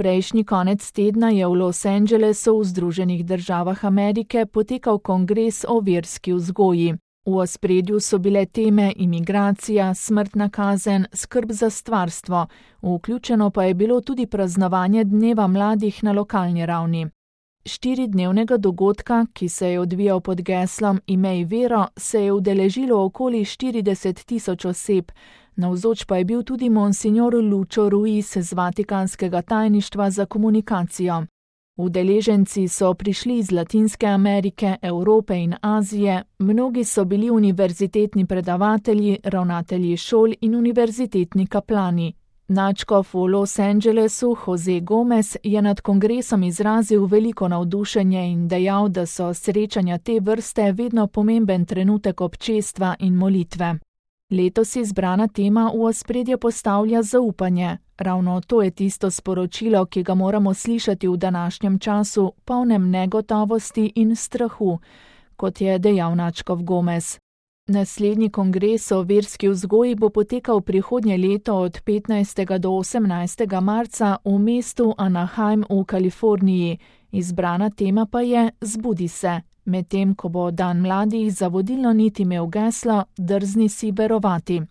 Prejšnji konec tedna je v Los Angelesu v Združenih državah Amerike potekal kongres o verski vzgoji. V ospredju so bile teme imigracija, smrtna kazen, skrb za stvarstvo, vključeno pa je bilo tudi praznovanje dneva mladih na lokalni ravni. 4-dnevnega dogodka, ki se je odvijal pod geslom Imej vero, se je udeležilo okoli 40.000 oseb, navzoč pa je bil tudi monsignor Lucho Ruiz z Vatikanskega tajništva za komunikacijo. Udeleženci so prišli iz Latinske Amerike, Evrope in Azije, mnogi so bili univerzitetni predavatelji, ravnatelji šol in univerzitetni kaplani. Nadškof v Los Angelesu Jose Gomez je nad kongresom izrazil veliko navdušenje in dejal, da so srečanja te vrste vedno pomemben trenutek občestva in molitve. Letos izbrana tema v ospredje postavlja zaupanje. Ravno to je tisto sporočilo, ki ga moramo slišati v današnjem času, polnem negotovosti in strahu, kot je dejal nadškof Gomez. Naslednji kongres o verski vzgoji bo potekal prihodnje leto od 15. do 18. marca v mestu Anaheim v Kaliforniji. Izbrana tema pa je Zbudi se, medtem ko bo dan mladih za vodilno nit imel geslo Drzni si verovati.